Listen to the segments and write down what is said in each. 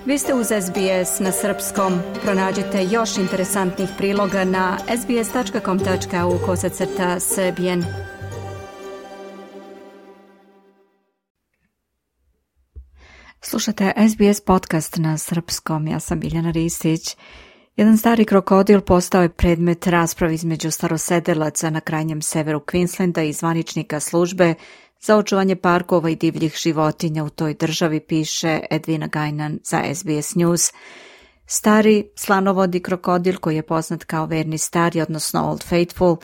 Vi ste uz SBS na srpskom. Pronađite još interesantnih priloga na sbs.com.au/srbijen. Slušate SBS podcast na srpskom. Ja sam Biljana Ristić. Jedan stari krokodil postao je predmet rasprave između starosedelaca na krajnjem severu Queenslanda i zvaničnika službe za očuvanje parkova i divljih životinja u toj državi, piše Edwina Gajnan za SBS News. Stari slanovodi krokodil, koji je poznat kao verni stari, odnosno Old Faithful,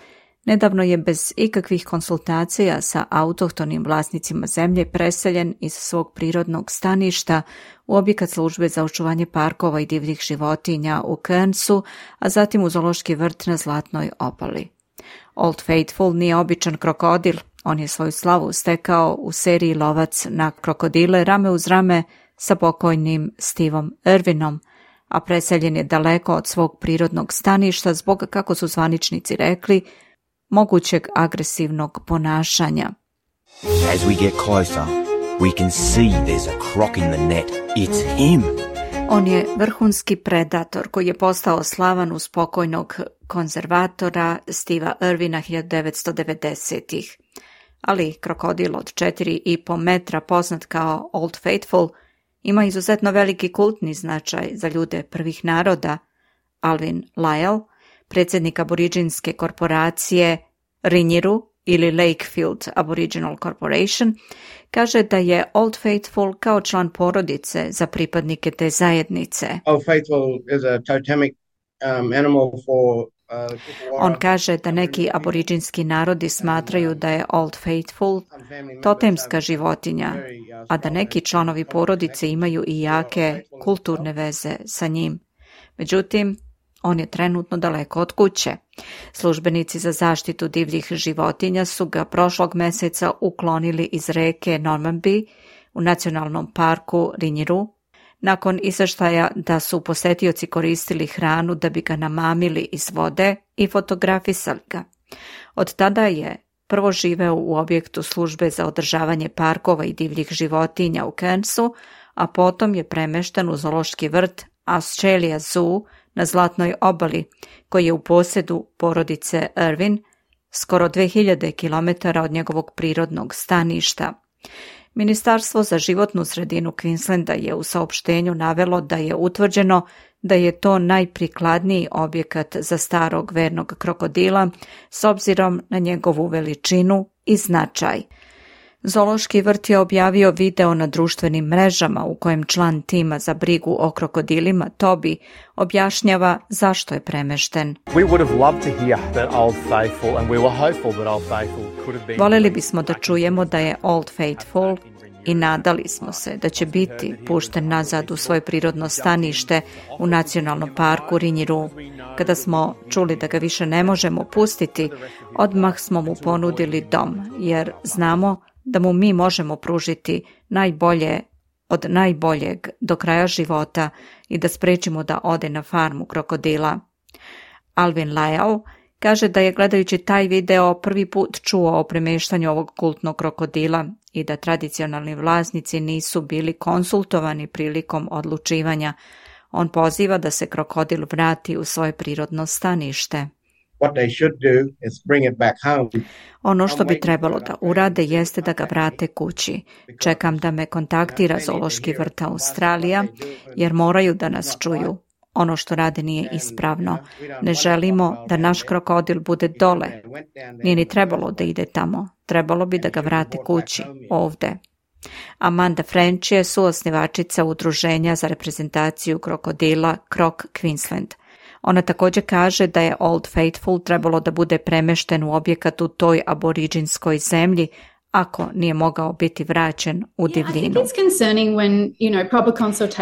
nedavno je bez ikakvih konsultacija sa autohtonim vlasnicima zemlje preseljen iz svog prirodnog staništa u objekat službe za očuvanje parkova i divljih životinja u Cairnsu, a zatim u zoološki vrt na Zlatnoj obali. Old Faithful nije običan krokodil, on je svoju slavu stekao u seriji Lovac na krokodile rame uz rame sa pokojnim Stevom Irvinom, a preseljen je daleko od svog prirodnog staništa zbog, kako su zvaničnici rekli, mogućeg agresivnog ponašanja. As we get closer, we can see there's a croc in the net. It's him. On je vrhunski predator koji je postao slavan uz pokojnog konzervatora Steva Irvina 1990-ih. Ali krokodil od 4,5 metra, poznat kao Old Faithful, ima izuzetno veliki kultni značaj za ljude prvih naroda. Alvin Lyle, predsjednik aboriđinske korporacije Rinjiru ili Lakefield Aboriginal Corporation, kaže da je Old Faithful kao član porodice za pripadnike te zajednice. Old Faithful is a totemic animal for On kaže da neki aboriđinski narodi smatraju da je Old Faithful totemska životinja, a da neki članovi porodice imaju i jake kulturne veze sa njim. Međutim, on je trenutno daleko od kuće. Službenici za zaštitu divljih životinja su ga prošlog mjeseca uklonili iz reke Normanby u nacionalnom parku Rinjiru, nakon izvještaja da su posetioci koristili hranu da bi ga namamili iz vode i fotografisali ga. Od tada je prvo živeo u objektu službe za održavanje parkova i divljih životinja u Cairnsu, a potom je premešten u zoološki vrt Australia Zoo na Zlatnoj obali, koji je u posjedu porodice Irvin, skoro 2000 km od njegovog prirodnog staništa. Ministarstvo za životnu sredinu Queenslanda je u saopštenju navelo da je utvrđeno da je to najprikladniji objekat za starog vernog krokodila s obzirom na njegovu veličinu i značaj. Zoološki vrt je objavio video na društvenim mrežama u kojem član tima za brigu o krokodilima Toby objašnjava zašto je premešten. Voljeli bismo da čujemo da je Old Faithful i nadali smo se da će biti pušten nazad u svoje prirodno stanište u nacionalnom parku Rinjiru. Kada smo čuli da ga više ne možemo pustiti, odmah smo mu ponudili dom, jer znamo da mu mi možemo pružiti najbolje od najboljeg do kraja života i da sprečimo da ode na farmu krokodila. Alvin Lyle kaže da je gledajući taj video prvi put čuo o premještanju ovog kultnog krokodila i da tradicionalni vlasnici nisu bili konsultovani prilikom odlučivanja. On poziva da se krokodil vrati u svoje prirodno stanište. what they should do is bring it back home. Ono što bi trebalo da urade jeste da ga vrate kući. Čekam da me kontaktira zoološki vrt Australija, jer moraju da nas čuju. Ono što rade nije ispravno. Ne želimo da naš krokodil bude dole. Nije ni trebalo da ide tamo. Trebalo bi da ga vrate kući, ovde. Amanda French je suosnivačica udruženja za reprezentaciju krokodila Croc Queensland. Ona također kaže da je Old Faithful trebalo da bude premešten u objekat u toj aboriđinskoj zemlji ako nije mogao biti vraćen u divljinu.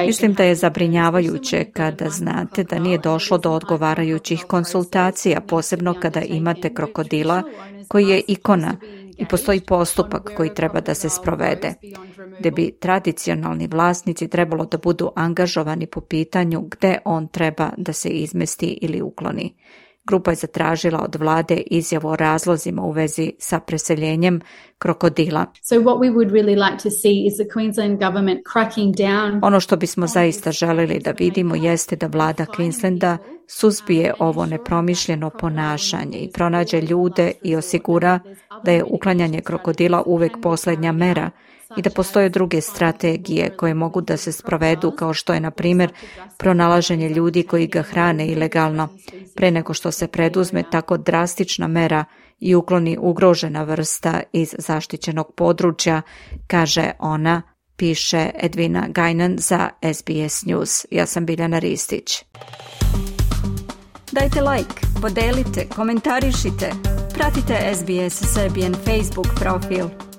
Mislim da je zabrinjavajuće kada znate da nije došlo do odgovarajućih konsultacija, posebno kada imate krokodila koji je ikona i postoji postupak koji treba da se sprovede, gdje bi tradicionalni vlasnici trebalo da budu angažovani po pitanju gde on treba da se izmesti ili ukloni. Grupa je zatražila od vlade izjavu o razlozima u vezi sa preseljenjem krokodila. Ono što bismo zaista želili da vidimo jeste da vlada Queenslanda suzbije ovo nepromišljeno ponašanje i pronađe ljude i osigura da je uklanjanje krokodila uvek posljednja mera i da postoje druge strategije koje mogu da se sprovedu, kao što je, na primjer, pronalaženje ljudi koji ga hrane ilegalno, pre nego što se preduzme tako drastična mera i ukloni ugrožena vrsta iz zaštićenog područja, kaže ona, piše Edwina Gajnan za SBS News. Ja sam Biljana Ristić. Dajte like, podelite, komentarišite, pratite SBS Serbian Facebook profil.